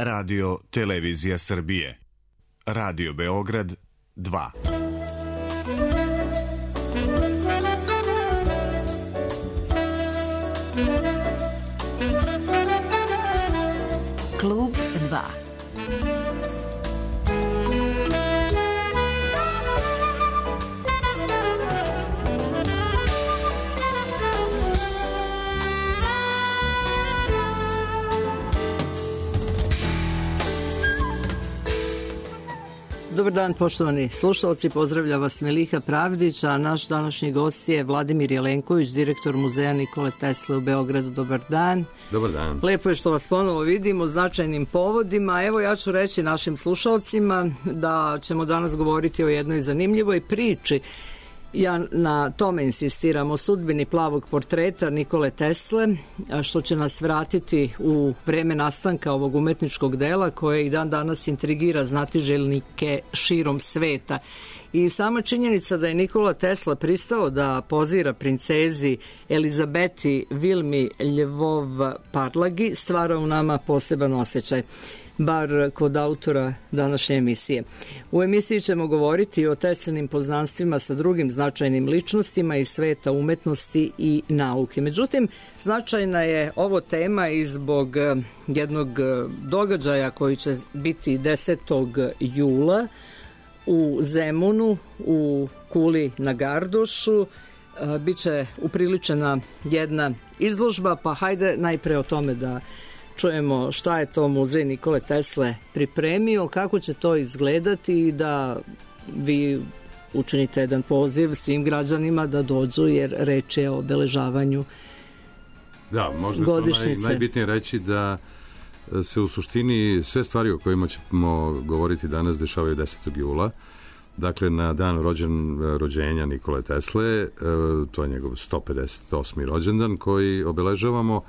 Radio Televizija Srbije. Radio Beograd 2. Klub 2. Dobar dan, poštovani slušalci, pozdravlja vas Meliha Pravdić, a naš današnji gost je Vladimir Jelenković, direktor Muzeja Nikole Tesle u Beogradu. Dobar dan. Dobar dan. Lepo je što vas ponovo vidimo u značajnim povodima. Evo, ja ću reći našim slušalcima da ćemo danas govoriti o jednoj zanimljivoj priči. Ja na tome insistiram, o sudbini plavog portreta Nikole Tesle, što će nas vratiti u vreme nastanka ovog umetničkog dela koje i dan danas intrigira znatiželjnike širom sveta. I sama činjenica da je Nikola Tesla pristao da pozira princezi Elizabeti Vilmi Lvov-Parlagi stvara u nama poseban osjećaj, bar kod autora današnje emisije. U emisiji ćemo govoriti o Teslinim poznanstvima sa drugim značajnim ličnostima iz sveta umetnosti i nauke. Međutim, značajna je ovo tema i zbog jednog događaja koji će biti 10. jula u Zemunu, u Kuli na Gardošu. Biće upriličena jedna izložba, pa hajde najpre o tome da čujemo šta je to Muzej Nikole Tesle pripremio, kako će to izgledati i da vi učinite jedan poziv svim građanima da dođu, jer reč je o obeležavanju godišnjice. To najbitnije reći da se u suštini sve stvari o kojima ćemo govoriti danas dešavaju 10. jula. Dakle, na dan rođenja Nikole Tesle, to je njegov 158. rođendan koji obeležavamo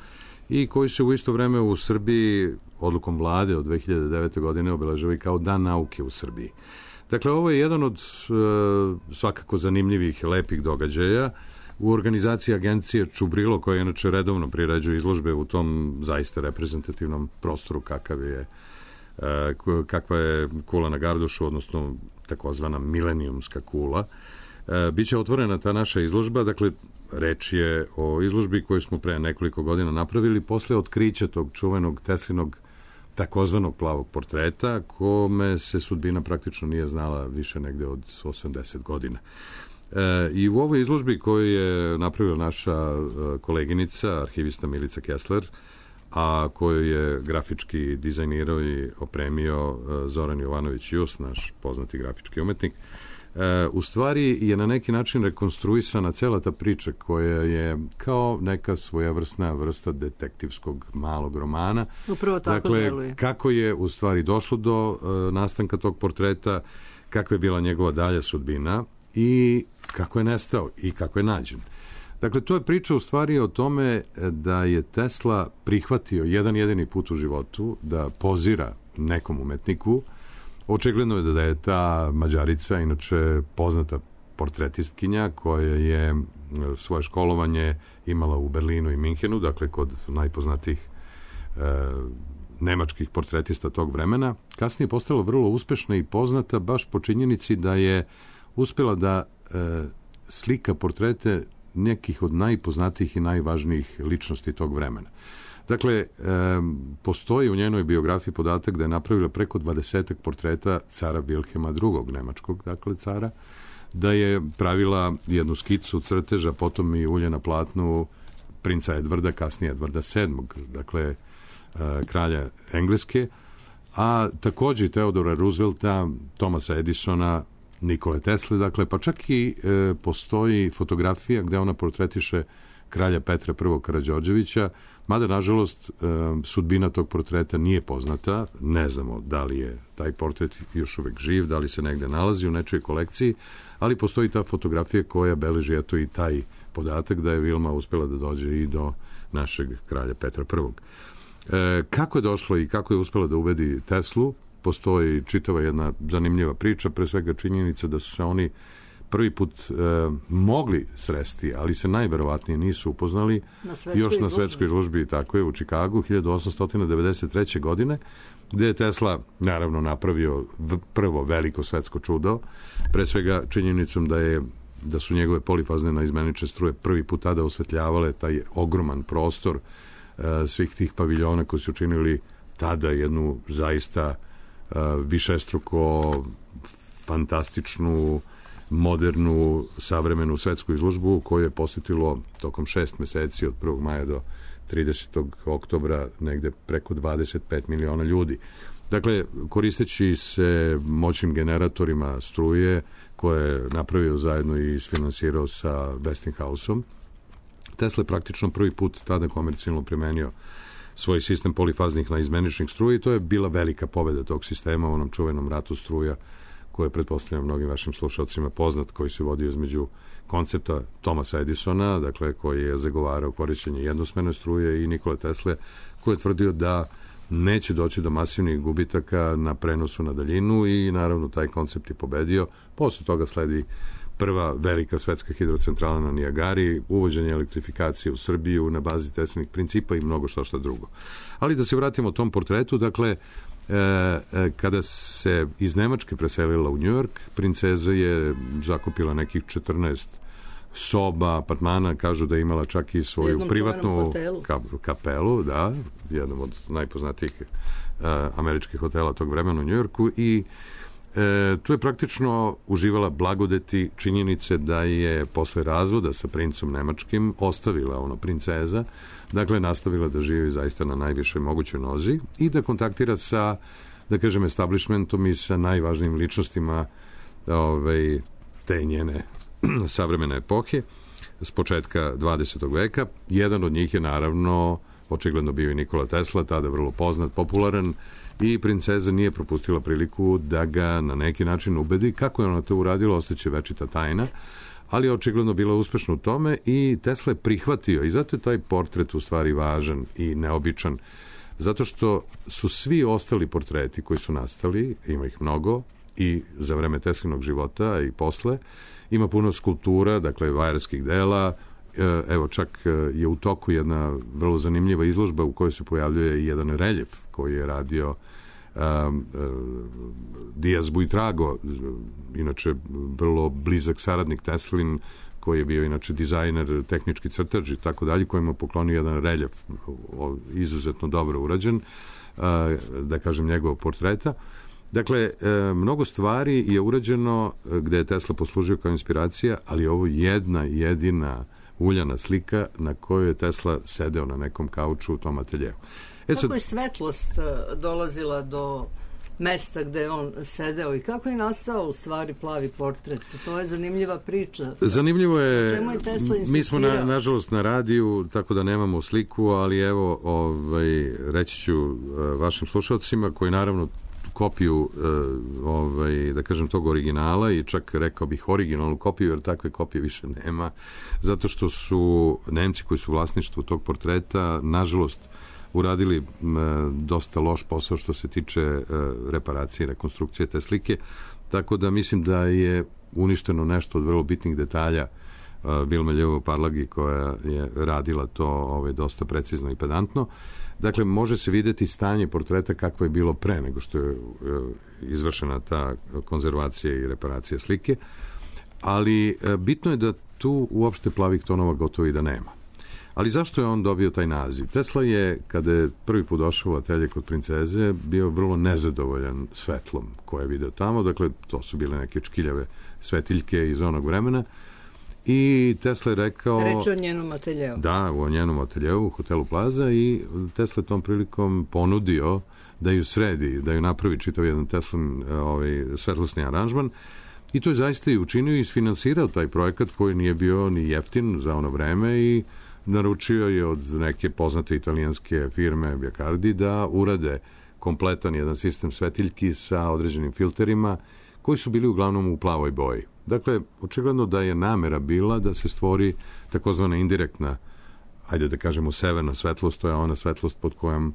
i koji se u isto vreme u Srbiji odlukom vlade od 2009. godine obeležava i kao Dan nauke u Srbiji. Dakle, ovo je jedan od svakako zanimljivih, lepih događaja u organizaciji agencije Čubrilo, koja inače redovno priređuje izložbe u tom zaista reprezentativnom prostoru kakva je Kula na Gardošu, odnosno takozvana milenijumska kula. Biće otvorena ta naša izložba, dakle, reč je o izložbi koju smo pre nekoliko godina napravili posle otkrića tog čuvenog Teslinog takozvanog plavog portreta, kome se sudbina praktično nije znala više negde od 80 godina. I u ovoj izložbi koju je napravila naša koleginica, arhivista Milica Kessler, a koju je grafički dizajnirao i opremio Zoran Jovanović-Just, naš poznati grafički umetnik, u stvari je na neki način rekonstruisana cela ta priča koja je kao neka svojevrsna vrsta detektivskog malog romana. Upravo tako deluje. Dakle, kako je u stvari došlo do nastanka tog portreta, kakva je bila njegova dalja sudbina i kako je nestao i kako je nađen. Dakle, to je priča u stvari o tome da je Tesla prihvatio jedan jedini put u životu da pozira nekom umetniku. Očigledno je da je ta Mađarica, inače poznata portretistkinja, koja je svoje školovanje imala u Berlinu i Minhenu, dakle kod najpoznatijih nemačkih portretista tog vremena. Kasnije je postala vrlo uspešna i poznata baš po činjenici da je uspela da slika portrete nekih od najpoznatijih i najvažnijih ličnosti tog vremena. Dakle, postoji u njenoj biografiji podatak da je napravila preko 20 portreta cara Wilhelma II. Nemačkog, dakle cara, da je pravila jednu skicu crteža, potom i ulje na platnu princa Edvarda, kasnije Edvarda VII, dakle kralja Engleske, a takođe Teodora Roosevelta, Thomasa Edisona, Nikole Tesle, dakle, pa čak i postoji fotografija gde ona portretiše kralja Petra I. Karađorđevića, mada, nažalost, sudbina tog portreta nije poznata, ne znamo da li je taj portret još uvek živ, da li se negde nalazi u nečoj kolekciji, ali postoji ta fotografija koja beleži eto i taj podatak da je Vilma uspela da dođe i do našeg kralja Petra I. Kako je došlo i kako je uspela da ubedi Teslu, postoji čitava jedna zanimljiva priča, pre svega činjenica da su se oni prvi put mogli sresti, ali se najverovatnije nisu upoznali još na svetskoj izložbi, tako je, u Čikagu 1893. godine, gde je Tesla naravno napravio prvo veliko svetsko čudo, pre svega činjenicom da su njegove polifazne naizmenične struje prvi put tada osvetljavale taj ogroman prostor svih tih paviljona koji su činili tada jednu zaista višestruko fantastičnu, modernu, savremenu svetsku izložbu koju je posjetilo tokom 6 meseci od 1. maja do 30. oktobra negde preko 25 miliona ljudi. Dakle, koristeći se moćnim generatorima struje koje je napravio zajedno i isfinansirao sa Westinghouseom, Tesla je praktično prvi put tada komercijalno primenio svoj sistem polifaznih naizmeničnih struja i to je bila velika pobeda tog sistema u onom čuvenom ratu struja koji je, pretpostavljam, mnogim vašim slušalcima poznat, koji se vodio između koncepta Thomasa Edisona, dakle, koji je zagovarao korišćenje jednosmerne struje, i Nikole Tesle, koji je tvrdio da neće doći do masivnih gubitaka na prenosu na daljinu i naravno taj koncept je pobedio. Posle toga sledi prva velika svetska hidrocentrala na Nijagari, uvođenje elektrifikacije u Srbiju na bazi Teslinih principa i mnogo što drugo. Ali da se vratimo tom portretu, dakle, kada se iz Nemačke preselila u Njujork, princeza je zakupila nekih 14 soba, apartmana, kažu da je imala čak i svoju privatnu kapelu, da, jednom od najpoznatijih američkih hotela tog vremena u Njujorku, i tu je praktično uživala blagodeti činjenice da je posle razvoda sa princom nemačkim ostavila princeza, dakle nastavila da živi zaista na najvišoj mogućoj nozi i da kontaktira sa, da kažem, establishmentom i sa najvažnijim ličnostima te njene savremene epohe s početka 20. veka. Jedan od njih je naravno očigledno bio i Nikola Tesla, tada vrlo poznat, popularan, i princeza nije propustila priliku da ga na neki način ubedi. Kako je ona to uradila, ostaće večita tajna, ali je očigledno bila uspešna u tome i Tesla je prihvatio, i zato je taj portret u stvari važan i neobičan, zato što su svi ostali portreti koji su nastali, ima ih mnogo, i za vreme Teslinog života i posle, ima puno skulptura, dakle vajarskih dela. Evo, čak je u toku jedna vrlo zanimljiva izložba u kojoj se pojavljuje jedan reljef koji je radio Diaz Buitrago, inače vrlo blizak saradnik Teslin, koji je bio inače dizajner, tehnički crtač i tako dalje, kojima je poklonio jedan reljef izuzetno dobro urađen, da kažem, njegovog portreta. Dakle, mnogo stvari je urađeno gde je Tesla poslužio kao inspiracija, ali ovo jedna jedina uljana slika na kojoj je Tesla sedeo na nekom kauču u tom ateljevu. Kako je svetlost dolazila do mesta gde je on sedeo i kako je nastao u stvari plavi portret? To je zanimljiva priča. Zanimljivo je, čemu je Tesla insistirao? Mi smo nažalost na radiju, tako da nemamo sliku, ali evo, reći ću vašim slušalcima, koji naravno kopiju, da kažem, tog originala, i čak rekao bih originalnu kopiju, jer takve kopije više nema, zato što su Nemci koji su vlasništvo tog portreta, nažalost, uradili dosta loš posao što se tiče reparacije i rekonstrukcije te slike, tako da mislim da je uništeno nešto od vrlo bitnih detalja Vilma Ljevo-Parlagi, koja je radila to dosta precizno i pedantno. Dakle, može se videti stanje portreta kakvo je bilo pre nego što je izvršena ta konzervacija i reparacija slike, ali bitno je da tu uopšte plavih tonova gotovo i da nema. Ali zašto je on dobio taj naziv? Tesla je, kada je prvi put došao u atelje kod princeze, bio vrlo nezadovoljan svetlom koje je video tamo, dakle, to su bile neke čkiljave svetiljke iz onog vremena, i Tesla je rekao... Reč o njenom ateljevu. Da, u njenom ateljevu, u hotelu Plaza, i Tesla tom prilikom ponudio da ju sredi, da ju napravi čitav jedan Teslin svetlosni aranžman, i to je zaista i učinio i isfinansirao taj projekat koji nije bio ni jeftin za ono vreme, i naručio je od neke poznate italijanske firme Biacardi da urade kompletan jedan sistem svetiljki sa određenim filterima koji su bili uglavnom u plavoj boji. Dakle, očigledno da je namera bila da se stvori takozvana indirektna, ajde da kažemo severna svetlost, to je ona svetlost pod kojom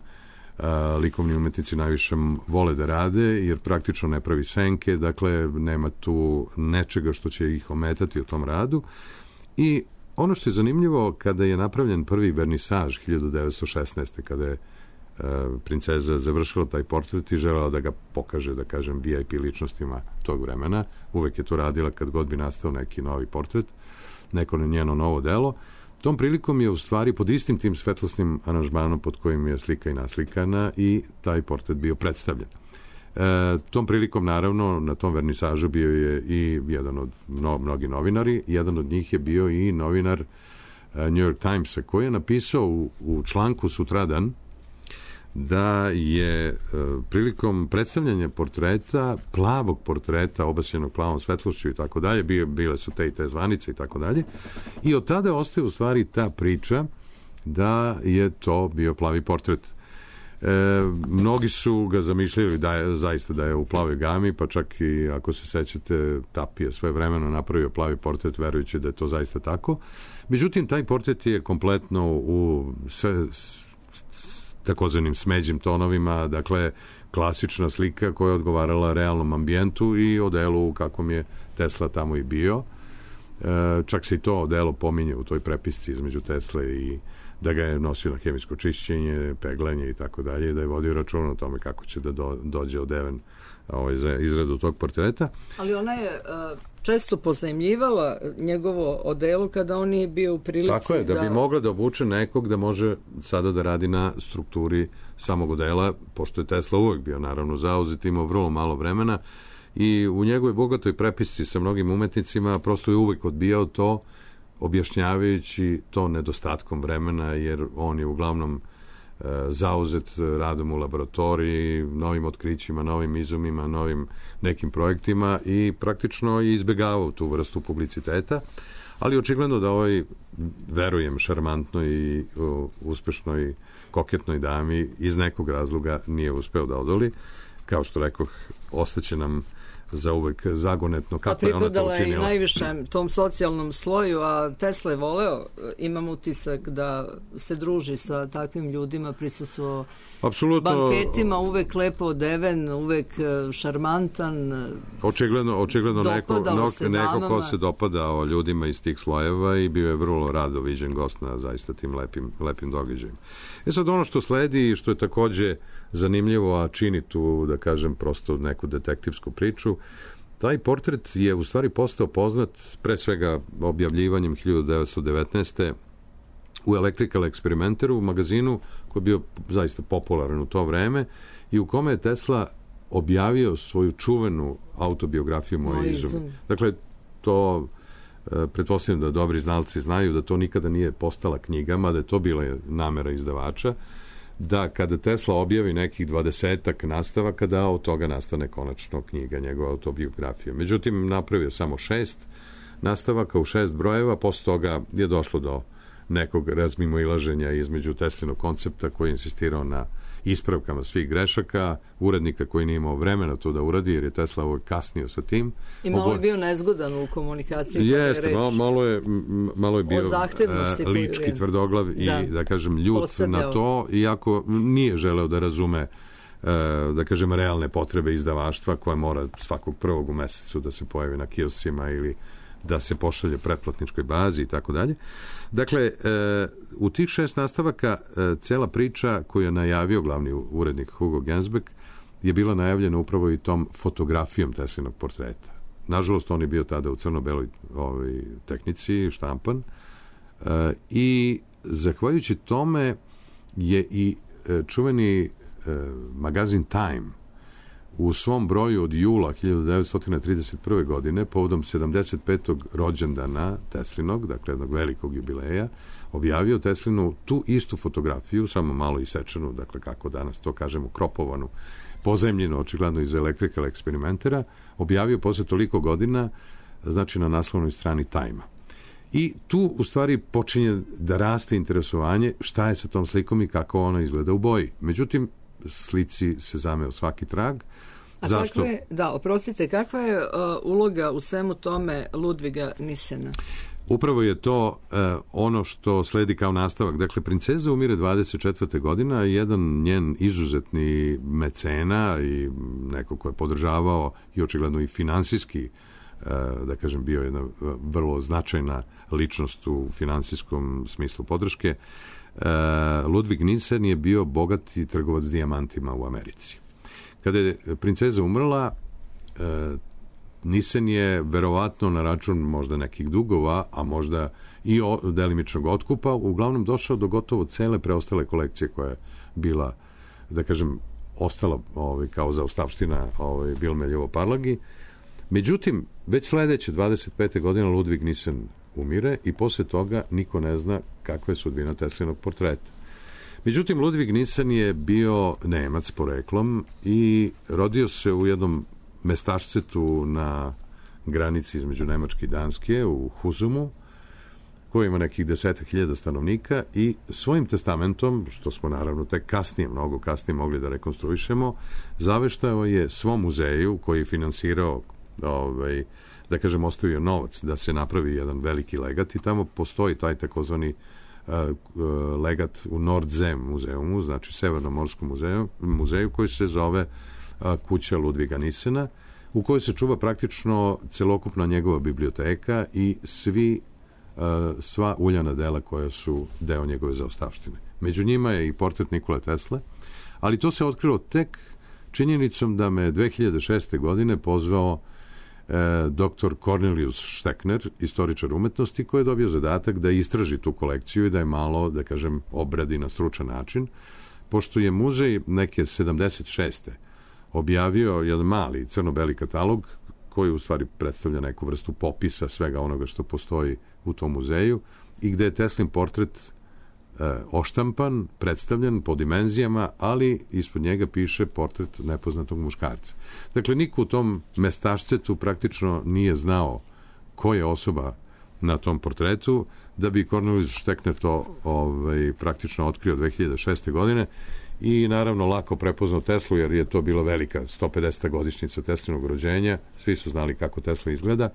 likovni umetnici najviše vole da rade, jer praktično ne pravi senke, dakle, nema tu nečega što će ih ometati u tom radu. I ono što je zanimljivo, kada je napravljen prvi vernisaž 1916. kada je princeza završila taj portret i želela da ga pokaže, da kažem, VIP ličnostima tog vremena. Uvek je to radila kad god bi nastao neki novi portret, neko njeno novo delo. Tom prilikom je u stvari pod istim tim svetlosnim aranžmanom pod kojim je slika i naslikana i taj portret bio predstavljen. Tom prilikom, naravno, na tom vernisažu bio je i jedan od mnogi novinari. Jedan od njih je bio i novinar New York Timesa, koji je napisao u članku sutradan da je prilikom predstavljanja portreta, plavog portreta, obasjenog plavom svetlošću i tako dalje, bile su te i te zvanice i tako dalje, i od tada ostaje u stvari ta priča da je to bio plavi portret. Mnogi su ga zamišljali zaista da je u plavoj gami, pa čak i ako se sećate, Tapija sve vremeno napravio plavi portret verujući da je to zaista tako. Međutim, taj portret je kompletno u sve takozvanim smeđim tonovima, dakle klasična slika koja je odgovarala realnom ambijentu i odelu kakvom je Tesla tamo i bio. Čak se i to odelo pominje u toj prepisci između Tesle i da ga je nosio na hemijsko čišćenje, peglanje i tako dalje, da je vodio račun o tome kako će da dođe odeven za izradu tog portreta. Ali ona je često pozajmljivala njegovo odelo kada on nije bio u prilici. Tako je, da bi mogla da obuče nekog da može sada da radi na strukturi samog odela, pošto je Tesla uvek bio naravno zauzet, imao vrlo malo vremena i u njegovoj bogatoj prepisci sa mnogim umetnicima prosto je uvek odbijao to, objašnjavajući to nedostatkom vremena, jer on je uglavnom zauzet radom u laboratoriji, novim otkrićima, novim izumima, novim nekim projektima i praktično je izbegavao tu vrstu publiciteta, ali očigledno da ovoj, verujem, šarmantnoj i uspešnoj koketnoj dami iz nekog razloga nije uspeo da odoli. Kao što rekoh, ostaće nam za uvek zagonetno kako je ona to učinila. Pripadala je i najvišem tom socijalnom sloju, a Tesla je voleo, imam utisak da se druži sa takvim ljudima, prisustvovao banketima, uvek lepo odeven, uvek šarmantan. Očigledno neko ko se dopadao ljudima iz tih slojeva i bio je vrlo rado viđen gost na zaista tim lepim događajima. Sad ono što sledi i što je takođe zanimljivo, a čini tu, da kažem, prosto neku detektivsku priču, taj portret je u stvari postao poznat pre svega objavljivanjem 1919. u Electrical Experimentaru, u magazinu koji je bio zaista popularan u to vreme i u kome je Tesla objavio svoju čuvenu autobiografiju Moje izume. Dakle, to pretpostavljam da dobri znalci znaju da to nikada nije postala knjiga, mada je to bila namera izdavača, da kada Tesla objavi nekih 20-ak nastavaka, da od toga nastane konačno knjiga, njegova autobiografija. Međutim, napravio samo 6 nastavaka u 6 brojeva, posle toga je došlo do nekog razmimoilaženja između Teslinog koncepta koji je insistirao na ispravkama svih grešaka, urednika koji nije imao vremena to da uradi, jer je Tesla uvek kasnio sa tim. I malo je bio nezgodan u komunikaciji. Jeste, malo je bio lički, tvrdoglav i, da kažem, ljut na to, iako nije želeo da razume, da kažem, realne potrebe izdavaštva koje mora svakog prvog u mesecu da se pojavi na kioscima ili da se pošalje pretplatničkoj bazi i tako dalje. Dakle, u tih 6 nastavaka cela priča koju je najavio glavni urednik Hugo Gernsback je bila najavljena upravo i tom fotografijom Teslinog portreta. Nažalost, on je bio tada u crno-beloj tehnici, štampan, i zahvaljujući tome je i čuveni magazin Time u svom broju od jula 1931. godine, povodom 75. rođendana Teslinog, dakle jednog velikog jubileja, objavio Teslinu tu istu fotografiju, samo malo isečenu, dakle kako danas to kažemo, kropovanu, pozemljenu, očigledno iz Electrical Experimentera, objavio posle toliko godina, znači na naslovnoj strani Time-a. I tu u stvari počinje da raste interesovanje šta je sa tom slikom i kako ona izgleda u boji. Međutim, slici se zameo svaki trag. Zašto? Oprostite, kakva je uloga u svemu tome Ludviga Nisena? Upravo je to ono što sledi kao nastavak. Dakle, princeza umire 24. godina, jedan njen izuzetni mecena i neko ko je podržavao i očigledno i finansijski, da kažem, bio jedna vrlo značajna ličnost u finansijskom smislu podrške, Ludvig Nissen je bio bogati trgovac dijamantima u Americi. Kada je princeza umrla, Nissen je verovatno na račun možda nekih dugova, a možda i delimičnog otkupa, uglavnom došao do gotovo cele preostale kolekcije koja je bila, da kažem, ostala kao zaostavština Vilmeljevo Parlagi. Međutim, već sledeće 25. godine Ludvig Nissen umire i posle toga niko ne zna kakva je sudbina Teslinog portreta. Međutim, Ludvig Nissen je bio Nemac poreklom i rodio se u jednom mestašcetu na granici između Nemačke i Danske u Huzumu, koji ima nekih 10.000 stanovnika, i svojim testamentom, što smo naravno tek kasnije, mnogo kasnije mogli da rekonstruišemo, zaveštao je svom muzeju koji je finansirao, da kažem, ostavio novac da se napravi jedan veliki legat, i tamo postoji taj takozvani legat u Nordzem muzeumu, znači Severnomorskom muzeju, koji se zove kuća Ludviga Nissena, u kojoj se čuva praktično celokupna njegova biblioteka i sva uljana dela koja su deo njegove zaostavštine. Među njima je i portret Nikole Tesle, ali to se otkrilo tek činjenicom da me 2006. godine pozvao dr. Cornelius Steckner, istoričar umetnosti, koji je dobio zadatak da istraži tu kolekciju i da je malo, da kažem, obradi na stručan način, pošto je muzej neke 76. objavio jedan mali crno-beli katalog koji u stvari predstavlja neku vrstu popisa svega onoga što postoji u tom muzeju i gde je Teslin portret oštampan, predstavljen po dimenzijama, ali ispod njega piše portret nepoznatog muškarca. Dakle, niko u tom mestašcetu praktično nije znao ko je osoba na tom portretu, da bi Cornelius Steckner to praktično otkrio 2006. godine i naravno lako prepoznao Teslu, jer je to bila velika 150. godišnjica Teslinog rođenja, svi su znali kako Tesla izgleda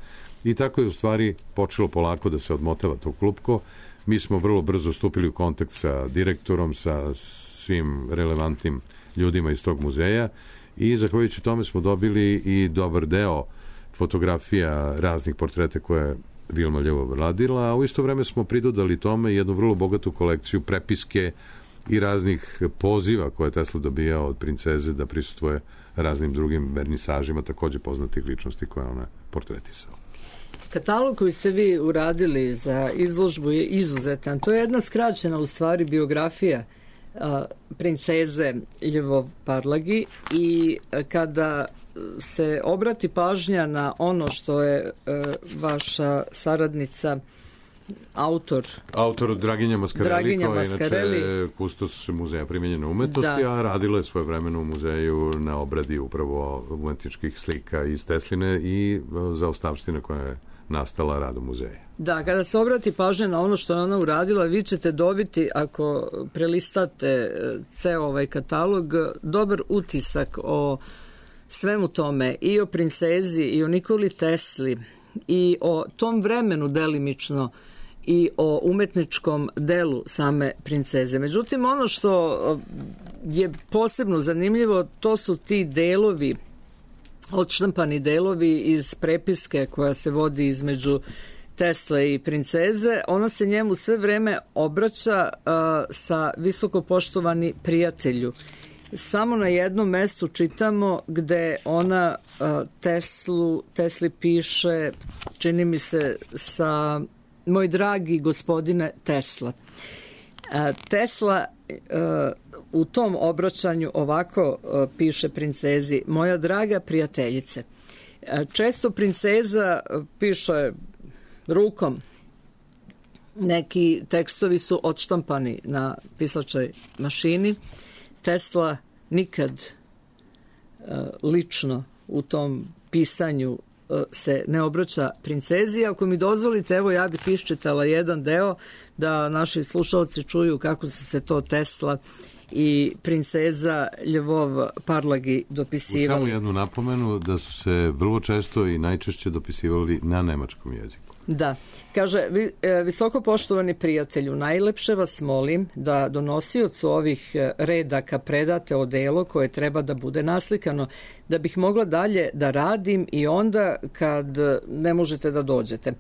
i tako je u stvari počelo polako da se odmotava to klupko. Mi smo vrlo brzo stupili u kontakt sa direktorom, sa svim relevantnim ljudima iz tog muzeja i zahvaljujući tome smo dobili i dobar deo fotografija raznih portreta koje je Vilmeljevo radila, a u isto vreme smo pridodali tome jednu vrlo bogatu kolekciju prepiske i raznih poziva koje je Tesla dobijao od princeze da prisustvuje raznim drugim vernisažima takođe poznatih ličnosti koje ona portretisala. Katalog koji ste vi uradili za izložbu je izuzetan. To je jedna skraćena u stvari biografija princeze Ljubov Parlagi i kada se obrati pažnja na ono što je vaša saradnica autor Draginja Mascarelli, koja je inače kustos muzeja primenjene umetnosti, a radila je svoje vremeno u muzeju na obradi upravo umetničkih slika iz Tesline i zaostavštine koja je nastala radom muzeja. Da, kada se obrati pažnja na ono što je ona uradila, vi ćete dobiti, ako prelistate ceo ovaj katalog, dobar utisak o svemu tome, i o princezi, i o Nikoli Tesli, i o tom vremenu delimično, i o umetničkom delu same princeze. Međutim, ono što je posebno zanimljivo, to su ti delovi, odštampani delovi iz prepiske koja se vodi između Tesle i princeze. Ona se njemu sve vreme obraća sa visoko poštovani prijatelju. Samo na jednom mestu čitamo gde ona Tesli piše, čini mi se, sa moj dragi gospodine Tesla. Tesla u tom obraćanju ovako piše princezi: moja draga prijateljice. Često princeza piše rukom. Neki tekstovi su odštampani na pisačoj mašini. Tesla nikad lično u tom pisanju se ne obraća princezi. Ako mi dozvolite, evo ja bih iščitala jedan deo da naši slušalci čuju kako su se to Tesla i princeza Ljubov Parlagi dopisivali. Samo jednu napomenu da su se vrlo često i najčešće dopisivali na nemačkom jeziku. Da. Kaže, visoko poštovani prijatelju, najlepše vas molim da donosiocu ovih redaka predate odelo koje treba da bude naslikano, da bih mogla dalje da radim i onda kad ne možete da dođete.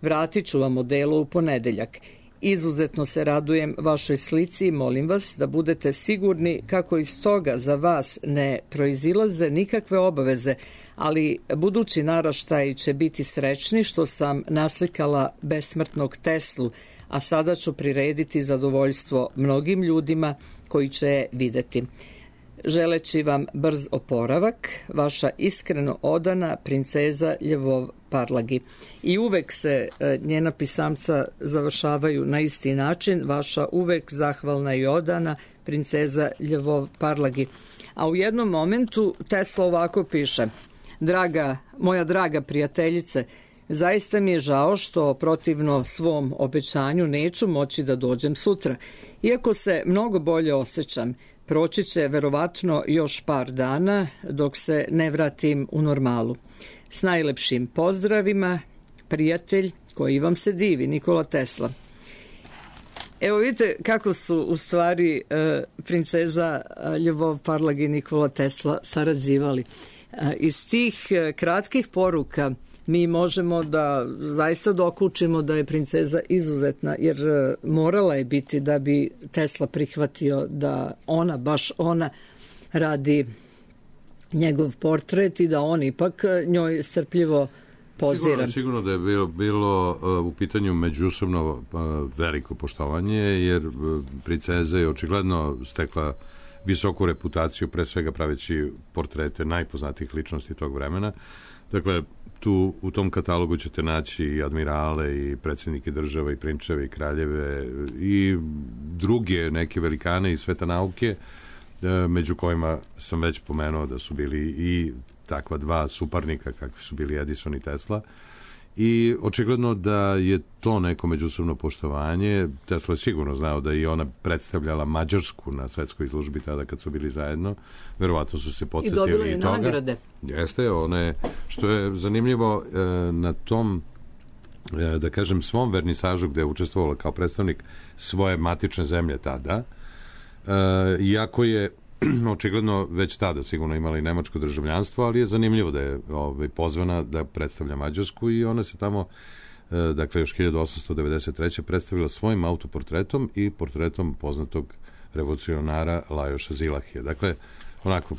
Vratit ću vam odelo u ponedeljak. Izuzetno se radujem vašoj slici i molim vas da budete sigurni kako iz toga za vas ne proizilaze nikakve obaveze, ali budući naraštaji će biti srećni što sam naslikala besmrtnog Teslu, a sada ću prirediti zadovoljstvo mnogim ljudima koji će je videti. Želeći vam brz oporavak, vaša iskreno odana princeza Ljevov Parlagi. I uvek se njena pisamca završavaju na isti način, vaša uvek zahvalna i odana princeza Ljevov Parlagi. A u jednom momentu Tesla ovako piše: moja draga prijateljice, zaista mi je žao što protivno svom obećanju neću moći da dođem sutra. Iako se mnogo bolje osjećam, proći će verovatno još par dana dok se ne vratim u normalu. S najlepšim pozdravima, prijatelj koji vam se divi, Nikola Tesla. Evo vidite kako su u stvari princeza Ljubov Parlagi i Nikola Tesla sarađivali. Iz tih kratkih poruka mi možemo da zaista dokučimo da je princeza izuzetna, jer morala je biti da bi Tesla prihvatio da ona, baš ona, radi njegov portret i da on ipak njoj strpljivo pozira. Sigurno da je bilo u pitanju međusobno veliko poštovanje, jer princeza je očigledno stekla visoku reputaciju, pre svega praveći portrete najpoznatijih ličnosti tog vremena. Dakle, tu u tom katalogu ćete naći i admirale, i predsjednike država, i prinčeve, i kraljeve, i druge neke velikane iz sveta nauke, među kojima sam već pomenuo da su bili i takva dva suparnika kakvi su bili Edison i Tesla. I očigledno da je to neko međusobno poštovanje. Tesla je sigurno znao da i ona predstavljala Mađarsku na svetskoj izložbi tada kad su bili zajedno. Verovatno su se podsjetili i toga. I dobila je nagrade. Jeste, one, što je zanimljivo na tom, da kažem, svom vernisažu gde je učestvovala kao predstavnik svoje matične zemlje tada, iako je očigledno već tada sigurno imala i nemačko državljanstvo, ali je zanimljivo da je pozvana da predstavlja Mađarsku i ona se tamo, dakle još 1893. predstavila svojim autoportretom i portretom poznatog revolucionara Lajoša Zilahija. Dakle, onako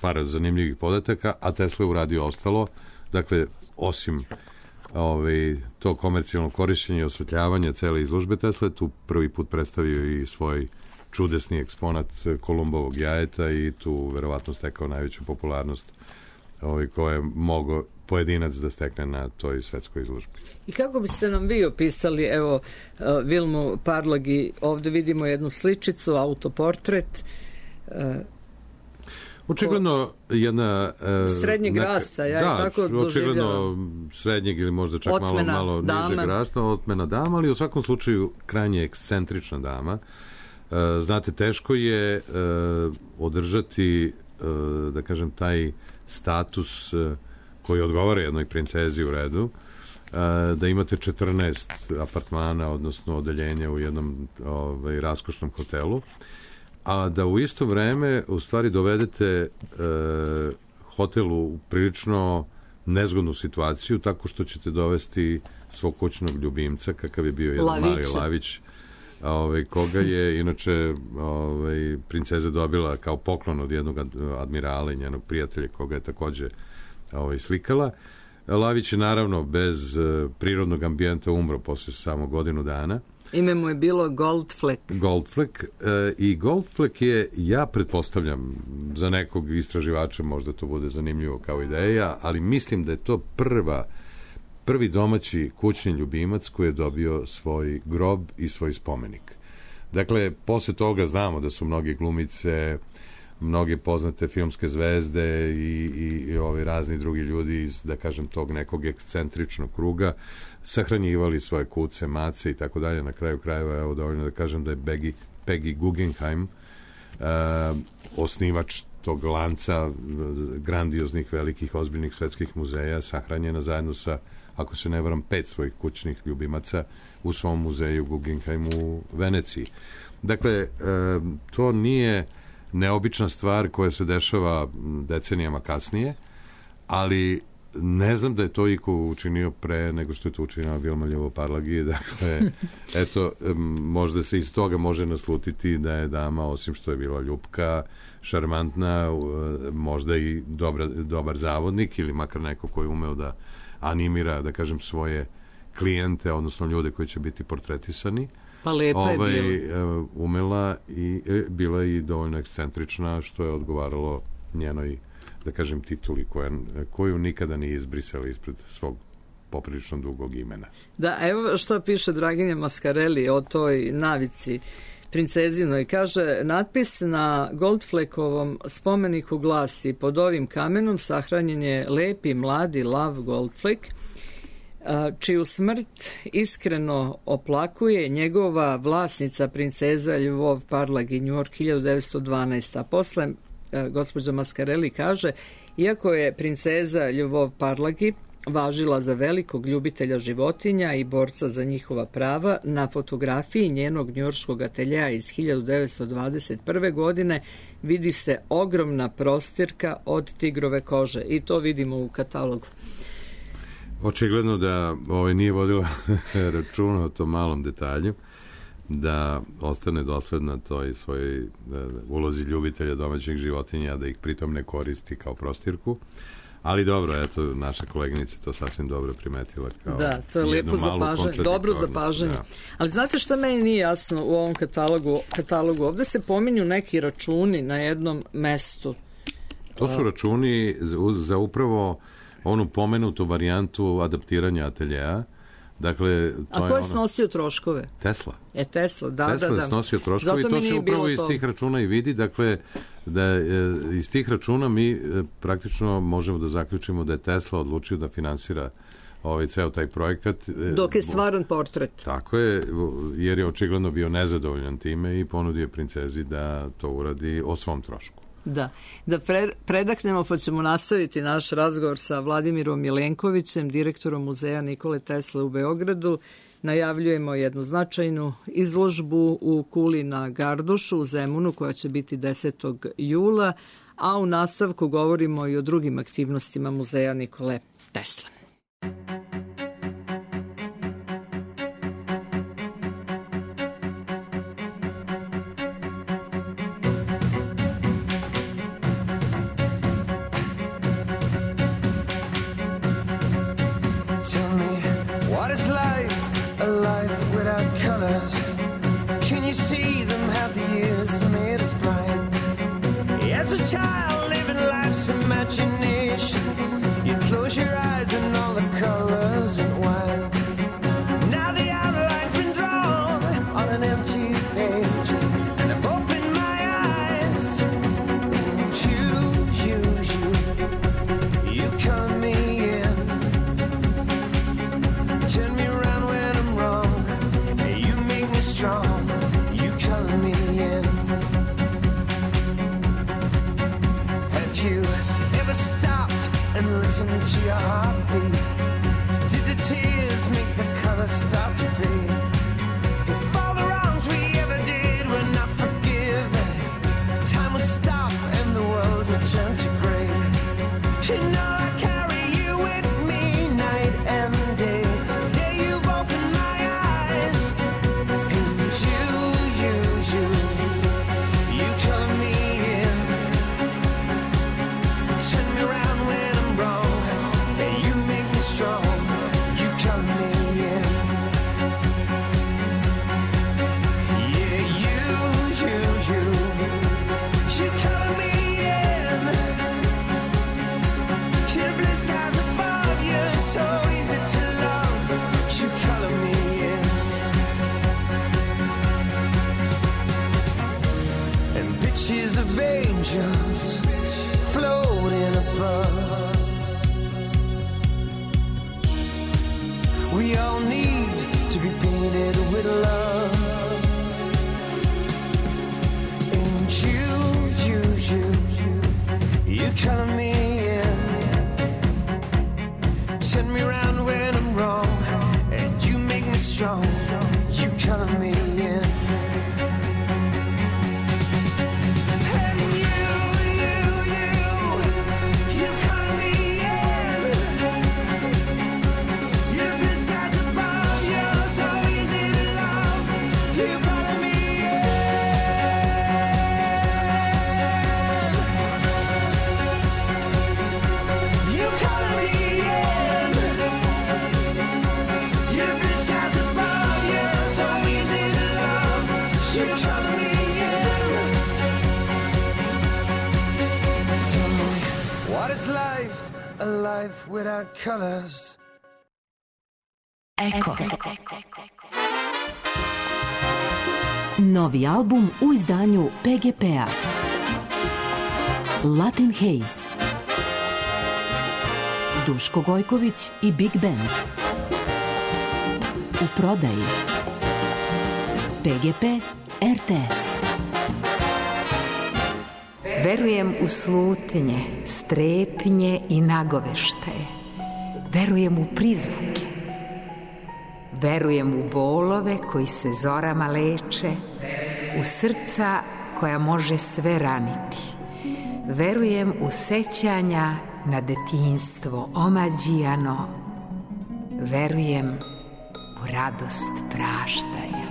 par zanimljivih podataka, a Tesla je uradio ostalo, dakle, osim to komercijalno korišćenje i osvetljavanje cele izložbe Tesla, tu prvi put predstavio i svoj čudesni eksponat Kolumbovog jajeta i tu verovatno stekao najveću popularnost koje je mogao pojedinac da stekne na toj svetskoj izložbi. I kako biste nam vi opisali, evo, Vilmu Parlagi, ovde vidimo jednu sličicu, autoportret, očigledno jedna srednjeg rasta, tako doživljala. Očigledno srednjeg ili možda čak malo nižeg rasta, otmena dama, ali u svakom slučaju krajnje ekscentrična dama. Znate, teško je održati, da kažem, taj status koji odgovara jednoj princezi u redu, da imate 14 apartmana, odnosno odeljenja u jednom raskošnom hotelu, a da u isto vreme u stvari dovedete hotel u prilično nezgodnu situaciju tako što ćete dovesti svog kućnog ljubimca, kakav je bio jedan mali Lavić, koga je inače princeza dobila kao poklon od jednog admirala i njenog prijatelja koga je takođe slikala. Lavić je naravno bez prirodnog ambijenta umro posle samo godinu dana. Ime mu je bilo Goldfleck. I Goldfleck je, ja pretpostavljam, za nekog istraživača možda to bude zanimljivo kao ideja, ali mislim da je to prvi domaći kućni ljubimac koji je dobio svoj grob i svoj spomenik. Dakle, posle toga znamo da su mnogi glumice, mnoge poznate filmske zvezde i razni drugi ljudi iz, da kažem, tog nekog ekscentričnog kruga sahranjivali svoje kuce, mace i tako dalje. Na kraju krajeva, evo dovoljno da kažem da je Peggy Guggenheim, osnivač tog lanca grandioznih, velikih, ozbiljnih svetskih muzeja, sahranjena zajedno sa, ako se ne varam, 5 svojih kućnih ljubimaca u svom muzeju Guggenheim u Veneciji. Dakle, to nije neobična stvar koja se dešava decenijama kasnije, ali Ne znam da je to iko učinio pre nego što je to učinila Vilma Ljovo-Parlagi. Dakle, eto, možda se iz toga može naslutiti da je dama, osim što je bila ljupka, šarmantna, možda i dobar zavodnik ili makar neko koji je umeo da animira, da kažem, svoje klijente, odnosno ljude koji će biti portretisani. Pa lepa je bila. Umela i bila i dovoljno ekscentrična, što je odgovaralo njenoj, da kažem, tituli koju nikada nije izbrisala ispred svog poprilično dugog imena. Da, evo što piše Draginja Mascarelli o toj navici princezinoj. Kaže, natpis na Goldfleckovom spomeniku glasi: pod ovim kamenom sahranjen je lepi mladi Love Goldfleck, čiju smrt iskreno oplakuje njegova vlasnica princeza Lvov-Parlagi, New York 1912. A posle gospođa Mascarelli kaže, iako je princeza Lvov-Parlagi važila za velikog ljubitelja životinja i borca za njihova prava, na fotografiji njenog njujorškog ateljeja iz 1921. godine vidi se ogromna prostirka od tigrove kože i to vidimo u katalogu. Očigledno da nije vodila računa o tom malom detalju, da ostane dosledna toj svojoj ulozi ljubitelja domaćih životinja, da ih pritom ne koristi kao prostirku. Ali dobro, eto, naša koleginica to sasvim dobro primetila kao da, to je lepo zapažanje, dobro zapažanje. Da. Ali znate šta meni nije jasno u ovom katalogu? Ovde se pominju neki računi na jednom mestu. To su računi za upravo onu pomenutu varijantu adaptiranja ateljeja. Dakle, a ko je snosio troškove? Tesla. Tesla, da. Tesla je snosio troškove i to se upravo iz tih računa i vidi. Dakle, da iz tih računa mi praktično možemo da zaključimo da je Tesla odlučio da finansira ceo taj projekat. Dok je stvaran portret. Tako je, jer je očigledno bio nezadovoljan time i ponudio princezi da to uradi o svom trošku. Da predaknemo, pa ćemo nastaviti naš razgovor sa Vladimirom Milenkovićem, direktorom muzeja Nikole Tesle u Beogradu. Najavljujemo jednu značajnu izložbu u Kuli na Gardušu u Zemunu koja će biti 10. jula, a u nastavku govorimo i o drugim aktivnostima muzeja Nikole Tesle. Child living life's imagination. You close your eyes and all the colors went wild. Now the outline's been drawn on an empty page, and I've opened my eyes. And you color me in. Turn me around when I'm wrong. You make me strong. You color me in. You ever stopped and listened to your heartbeat? Did the tears make the colors start to fade? If all the wrongs we ever did were not forgiven, time would stop and the world would turn to gray. You know I carry you with me night and day. Yeah, you've opened my eyes. And you color me in. Turn me around when I'm wrong, and you make me strong. You color me in. Yeah, you color me in. The blue skies above you, so easy to love. You color me in. And pictures of angels floating above. We all need to be painted with love. And you color me in. Turn me around when I'm wrong, and you make me strong. You color me in. And you color me in. What is life? A life without colors. Eko. Novi album u izdanju PGP-a. Latin Haze. Duško Gojković i Big Band. U prodaji. PGP RTS. Verujem u slutnje, strepnje i nagoveštaje. Verujem u prizvuke. Verujem u bolove koji se zorama leče, u srca koja može sve raniti. Verujem u sećanja na detinjstvo omađijano. Verujem u radost praštanja.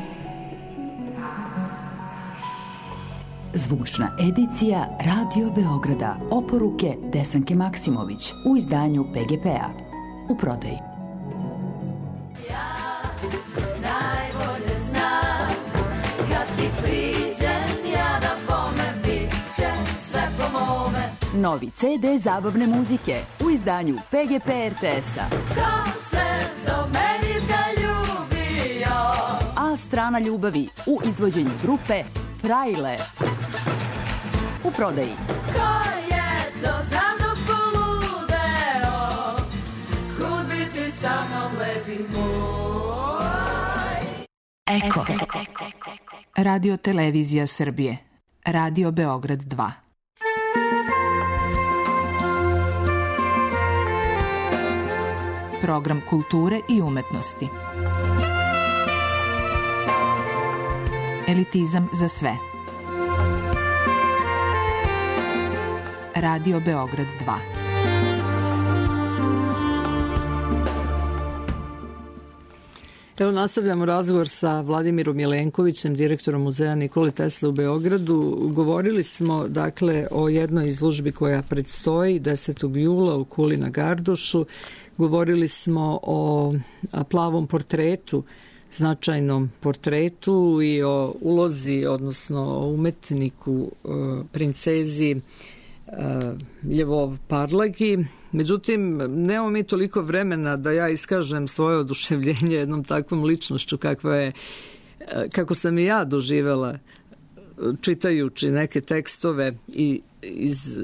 Zvučna edicija Radio Beograda. Oporuke Desanke Maksimović u izdanju PGP-a. U prodaji. Novi CD zabavne muzike u izdanju PGP RTS-a. Ko se do meni zaljubio? A strana ljubavi u izvođenju grupe Frajle. U prodaji. Ko je to za mnom poludeo? Kud biti sa mnom lepi moj? Eko. Radio Televizija Srbije. Radio Beograd 2. Program kulture i umetnosti. Elitizam za sve. Radio Beograd 2. Evo nastavljamo razgovor sa Vladimirom Jelenkovićem, direktorom muzeja Nikole Tesle u Beogradu. Govorili smo dakle o jednoj izložbi koja predstoji 10. jula u Kuli na Gardušu. Govorili smo o plavom portretu, značajnom portretu i o ulozi, odnosno o umetniku, princezi Ljevov Parlagi. Međutim, nemamo mi toliko vremena da ja iskažem svoje oduševljenje jednom takvom ličnošću kako sam i ja doživela čitajući neke tekstove i iz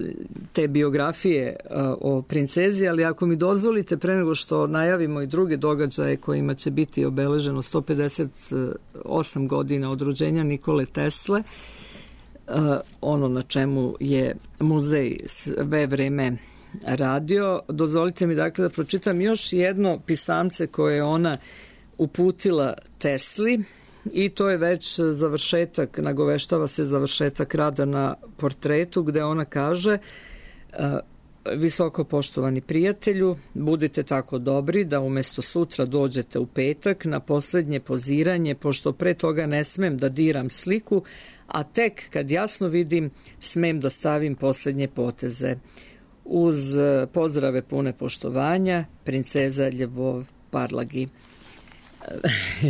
te biografije o princezi, ali ako mi dozvolite, pre nego što najavimo i druge događaje kojima će biti obeleženo 158 godina od rođenja Nikole Tesle, ono na čemu je muzej sve vreme radio, dozvolite mi dakle da pročitam još jedno pisamce koje je ona uputila Tesli, i to je već završetak, nagoveštava se završetak rada na portretu, gde ona kaže: visoko poštovani prijatelju, budite tako dobri da umesto sutra dođete u petak na poslednje poziranje, pošto pre toga ne smem da diram sliku, a tek kad jasno vidim smem da stavim poslednje poteze. Uz pozdrave pune poštovanja, princeza Ljevov Parlagi.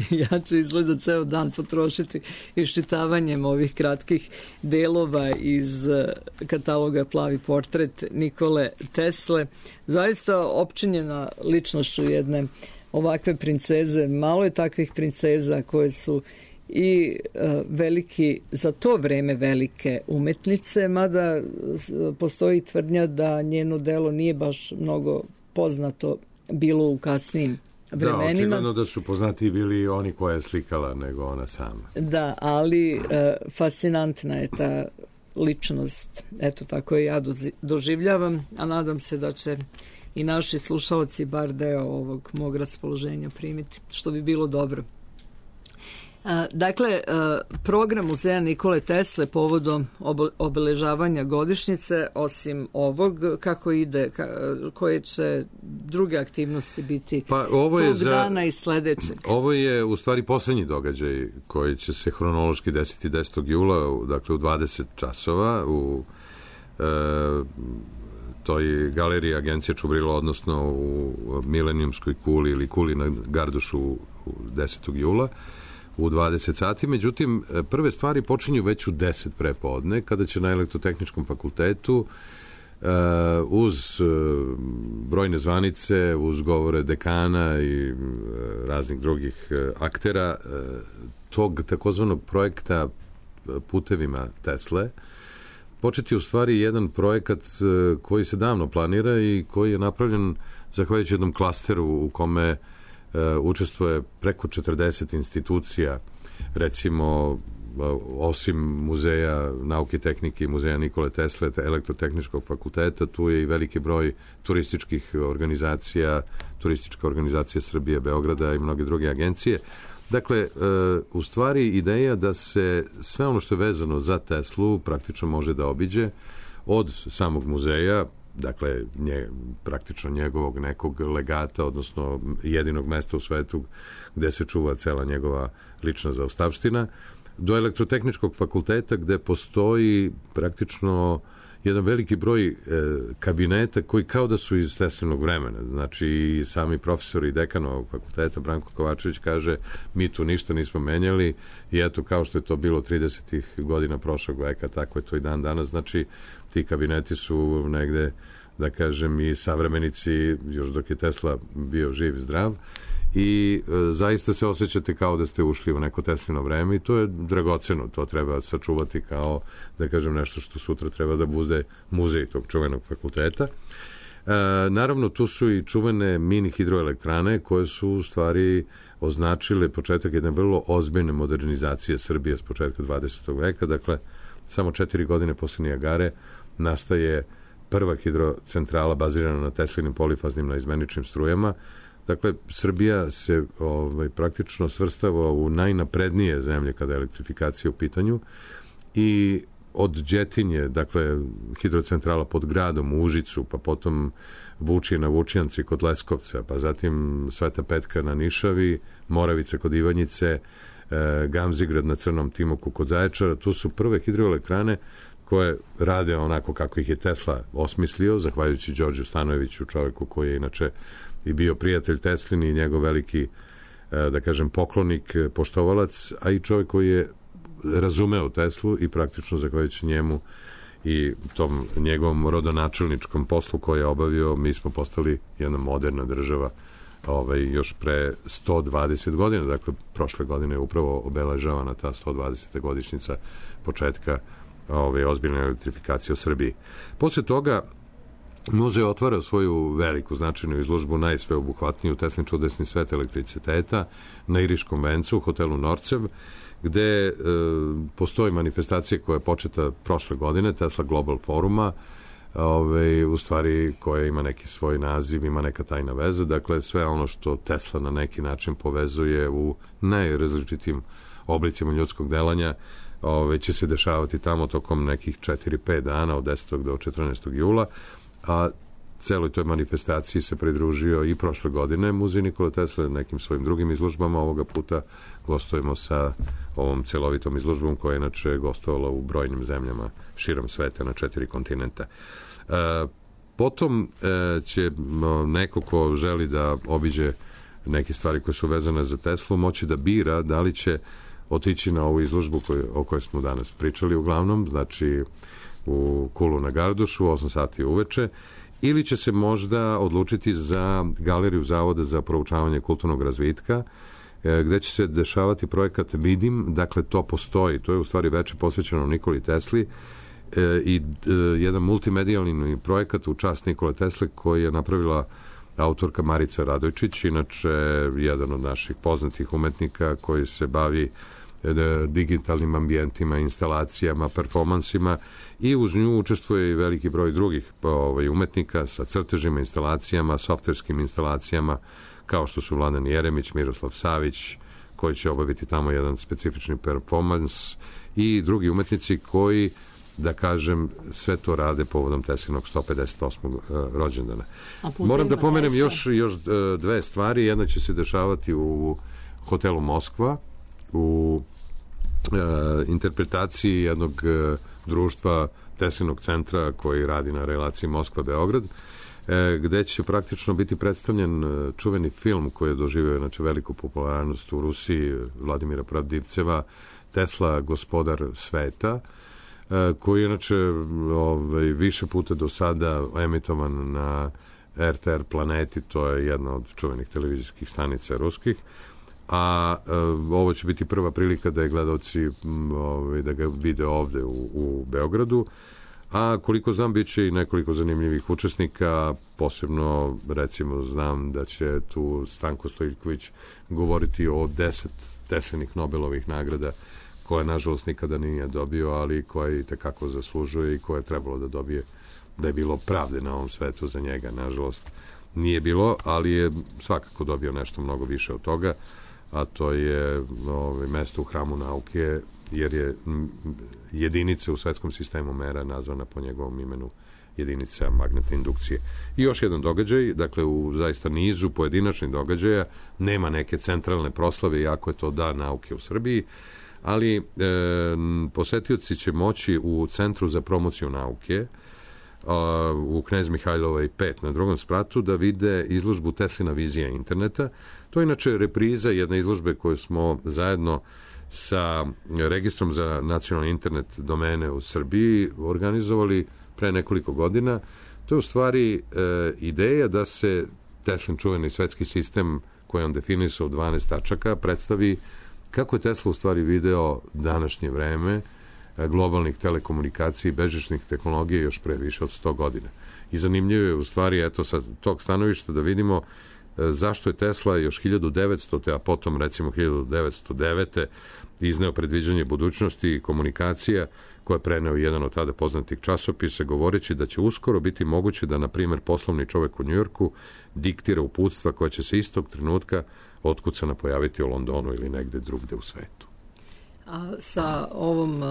Ja ću izgleda ceo dan potrošiti iščitavanjem ovih kratkih delova iz kataloga Plavi portret Nikole Tesle. Zaista opčinjena ličnošću jedne ovakve princeze. Malo je takvih princeza koje su i veliki, za to vreme velike umetnice, mada postoji tvrdnja da njeno delo nije baš mnogo poznato bilo u kasnijim vremenima. Da, očigledno da su poznati bili oni koja je slikala nego ona sama. Da, ali fascinantna je ta ličnost. Eto, tako je ja doživljavam, a nadam se da će i naši slušalci bar deo ovog mog raspoloženja primiti, što bi bilo dobro. Dakle, program muzeja Nikole Tesle povodom obeležavanja godišnjice, osim ovog, kako ide, koje će druge aktivnosti biti tog dana i sledećeg? Ovo je u stvari poslednji događaj koji će se hronološki desiti 10. jula, dakle u 20 časova u toj galeriji Agencije Čubrilo, odnosno u Milenijumskoj kuli ili Kuli na Gardušu 10. jula. U 20 sati, međutim, prve stvari počinju već u 10 prepodne, kada će na Elektrotehničkom fakultetu uz brojne zvanice, uz govore dekana i raznih drugih aktera tog takozvanog projekta putevima Tesle, početi u stvari jedan projekat koji se davno planira i koji je napravljen zahvaljujući jednom klasteru u kome učestvuje preko 40 institucija, recimo osim Muzeja nauke i tehnike i Muzeja Nikole Tesle, Elektrotehničkog fakulteta, tu je i veliki broj turističkih organizacija, Turistička organizacija Srbije, Beograda i mnoge druge agencije. Dakle, u stvari ideja da se sve ono što je vezano za Teslu praktično može da obiđe od samog muzeja, dakle, praktično njegovog nekog legata, odnosno jedinog mesta u svetu gde se čuva cela njegova lična zaostavština, do Elektrotehničkog fakulteta gde postoji praktično jedan veliki broj kabineta koji kao da su iz Teslinog vremena. Znači, i sami profesori i dekan ovog fakulteta, Branko Kovačević, kaže mi tu ništa nismo menjali i eto, kao što je to bilo 30. godina prošlog veka, tako je to i dan danas. Znači, ti kabineti su negde, da kažem, i savremenici, još dok je Tesla bio živ i zdrav, i zaista se osjećate kao da ste ušli u neko Teslino vreme i to je dragoceno, to treba sačuvati kao, da kažem, nešto što sutra treba da bude muzej tog čuvenog fakulteta. Naravno, tu su i čuvene mini hidroelektrane koje su u stvari označile početak jedne vrlo ozbiljne modernizacije Srbije s početka 20. veka, dakle, samo 4 godine posle Nijagare nastaje prva hidrocentrala bazirana na Teslinim polifaznim naizmeničnim strujama. Dakle, Srbija se praktično svrstava u najnaprednije zemlje kada je elektrifikacija u pitanju i od Đetinje, dakle, hidrocentrala pod gradom u Užicu, pa potom Vučije na Vučijanci kod Leskovca, pa zatim Sveta Petka na Nišavi, Moravica kod Ivanjice, Gamzigrad na Crnom Timoku kod Zaječara. Tu su prve hidroelektrane koje rade onako kako ih je Tesla osmislio, zahvaljujući Đorđu Stanojeviću, čoveku koji je inače i bio prijatelj Teslin i njegov veliki, da kažem, poklonik, poštovalac, a i čovjek koji je razumeo Teslu i praktično zahvaljujući njemu i tom njegovom rodonačelničkom poslu koji je obavio, mi smo postali jedna moderna država još pre 120 godina, dakle prošle godine je upravo obeležavana ta 120. godišnjica početka ozbiljne elektrifikacije u Srbiji. Posle toga muzej otvara svoju veliku značajnu izložbu, najsveobuhvatniju Teslin čudesni svet elektriciteta na Iriškom vencu u hotelu Norcev, gde postoji manifestacija koja je početa prošle godine, Tesla Global Foruma, u stvari koja ima neki svoj naziv, ima neka tajna veza, dakle sve ono što Tesla na neki način povezuje u najrazličitim oblicima ljudskog delanja, će se dešavati tamo tokom nekih 4-5 dana od 10. do 14. jula, a celoj toj manifestaciji se pridružio i prošle godine Muzej Nikole Tesle nekim svojim drugim izložbama. Ovoga puta gostujemo sa ovom celovitom izložbom koja je inače gostovala u brojnim zemljama širom sveta na 4 kontinenta. Potom će neko ko želi da obiđe neke stvari koje su vezane za Teslu moći da bira da li će otići na ovu izložbu o kojoj smo danas pričali uglavnom, znači u Kulu na Gardušu, 8 sati uveče, ili će se možda odlučiti za Galeriju Zavoda za proučavanje kulturnog razvitka, gde će se dešavati projekat Vidim, dakle to postoji, to je u stvari veče posvećeno Nikoli Tesli i jedan multimedijalni projekat u čast Nikole Tesle koji je napravila autorka Marica Radojčić, inače jedan od naših poznatih umetnika koji se bavi digitalnim ambijentima, instalacijama, performansima i uz nju učestvuje i veliki broj drugih umetnika sa crtežima, instalacijama, softverskim instalacijama, kao što su Vladan Jeremić, Miroslav Savić, koji će obaviti tamo jedan specifični performans i drugi umetnici koji, da kažem, sve to rade povodom Teslinog 158. rođendana. Moram da pomenem još dve stvari. Jedna će se dešavati u hotelu Moskva, u interpretaciji jednog društva Teslinog centra koji radi na relaciji Moskva-Beograd, gde će praktično biti predstavljen čuveni film koji je doživio znači veliku popularnost u Rusiji Vladimira Pravdivceva, Tesla, gospodar sveta, koji je inače više puta do sada emitovan na RTR Planeti, to je jedna od čuvenih televizijskih stanica ruskih, a ovo će biti prva prilika da je gledalci da ga vide ovde u Beogradu, a koliko znam bit će i nekoliko zanimljivih učesnika, posebno recimo znam da će tu Stanko Stojković govoriti o 10 Teslinih Nobelovih nagrada koje nažalost nikada nije dobio, ali koje i tekako zaslužuje i koje je trebalo da dobije, da je bilo pravde na ovom svetu za njega. Nažalost nije bilo, ali je svakako dobio nešto mnogo više od toga, a to je mesto u hramu nauke, jer je jedinica u svetskom sistemu mera nazvana po njegovom imenu, jedinica magnetne indukcije. I još jedan događaj, dakle u zaista nizu pojedinačnih događaja, nema neke centralne proslave, iako je to Dan nauke u Srbiji, ali posetioci će moći u Centru za promociju nauke u Knez Mihajlovoj 5 na drugom spratu da vide izložbu Teslina vizija interneta. To je inače repriza jedne izložbe koju smo zajedno sa Registrom za nacionalni internet domene u Srbiji organizovali pre nekoliko godina. To je u stvari ideja da se Teslin čuveni svetski sistem koji on definisao u 12 tačaka predstavi kako je Tesla u stvari video današnje vreme globalnih telekomunikacija i bežičnih tehnologija još pre više od 100 godina. I zanimljivo je u stvari, eto, sa tog stanovišta da vidimo zašto je Tesla još 1900. a potom recimo 1909. izneo predviđanje budućnosti i komunikacija koje je preneo jedan od tada poznatih časopisa, govoreći da će uskoro biti moguće da, na primjer, poslovni čovek u Njujorku diktira uputstva koja će se istog trenutka otkucana pojaviti u Londonu ili negde drugde u svetu. A sa ovom,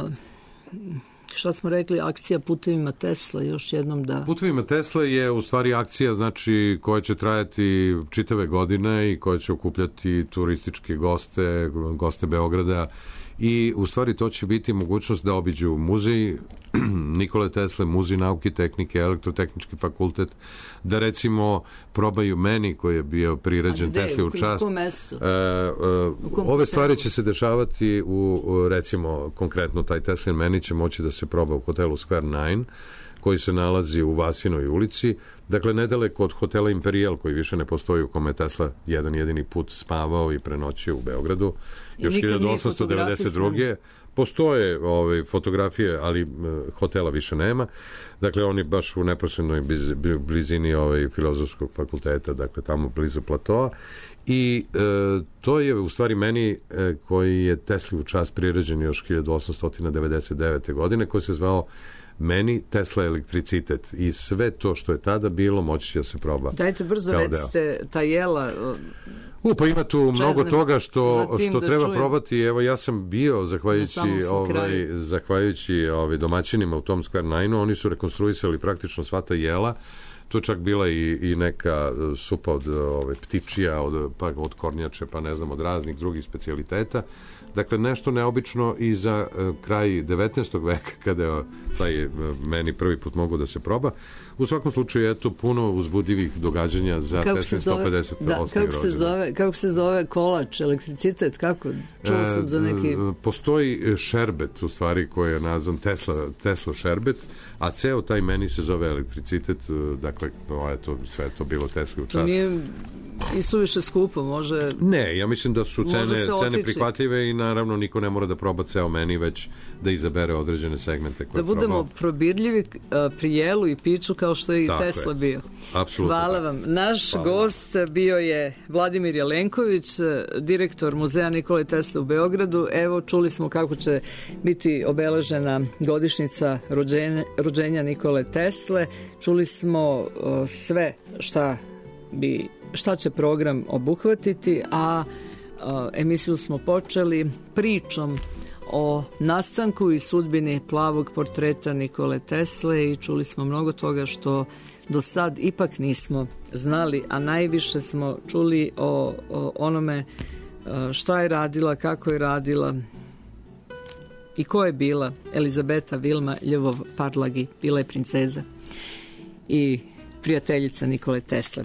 šta smo rekli, akcija Putevima Tesla, još jednom da... Putevima Tesla je u stvari akcija, znači, koja će trajati čitave godine i koja će okupljati turističke goste Beograda, i u stvari to će biti mogućnost da obiđu muzej Nikole Tesle, muzej nauke i tehnike, elektrotehnički fakultet, da recimo probaju meni koji je bio priređen Tesli u čast. U kom mestu? Ove stvari će se dešavati u recimo konkretno taj Teslin meni će moći da se proba u hotelu Square 9 koji se nalazi u Vasinoj ulici, dakle nedaleko od hotela Imperial koji više ne postoji, u kome je Tesla jedan jedini put spavao i prenoćio u Beogradu. Još 1892. Postoje fotografije, ali hotela više nema. Dakle, on je baš u neposrednoj blizini filozofskog fakulteta, dakle tamo blizu platoa. I to je u stvari meni koji je Tesli u čast priređen još 1899. godine, koji se zvao Meni Tesla elektricitet, i sve to što je tada bilo moći će da se proba. Dajte brzo recite, ta jela... Pa ima tu mnogo toga što treba probati. Evo, ja sam bio, zahvaljujući domaćinima u tom Square 9-u, oni su rekonstruisali praktično sva ta jela. To je čak bila i neka supa od ptičija, od kornjače, pa ne znam, od raznih drugih specijaliteta. Dakle, nešto neobično i za kraj 19. veka, kada je taj meni prvi put mogu da se proba. U svakom slučaju, eto, puno uzbudljivih događanja za Teslin 158. Kako se zove kolač, elektricitet, kako? Čuo sam za neki... Postoji šerbet, u stvari, koji je nazvan Tesla šerbet, a ceo taj meni se zove elektricitet, dakle, eto, sve je to bilo Tesli u čast. To nije i suviše skupo, može... Ne, ja mislim da su cene prihvatljive i naravno niko ne mora da proba ceo meni, već da izabere određene segmente koje da budemo probirljivi pri jelu i piću kao što je i Tesla bio. Apsolutno. Hvala vam. Naš gost bio je Vladimir Jelenković, direktor Muzeja Nikole Tesle u Beogradu. Evo, čuli smo kako će biti obeležena godišnjica rođenja Nikole Tesle. Čuli smo sve šta će program obuhvatiti, a emisiju smo počeli pričom o nastanku i sudbini plavog portreta Nikole Tesle i čuli smo mnogo toga što do sad ipak nismo znali, a najviše smo čuli o onome šta je radila, kako je radila i ko je bila Elizabeta Vilma Ljubov-Parlagi. Bila je princeza i prijateljica Nikole Tesle.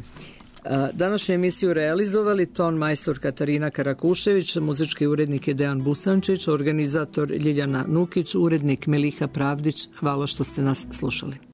Današnju emisiju realizovali ton majstor Katarina Karakušević, muzički urednik je Dejan Busančić, organizator Ljiljana Nukić, urednik Meliha Pravdić. Hvala što ste nas slušali.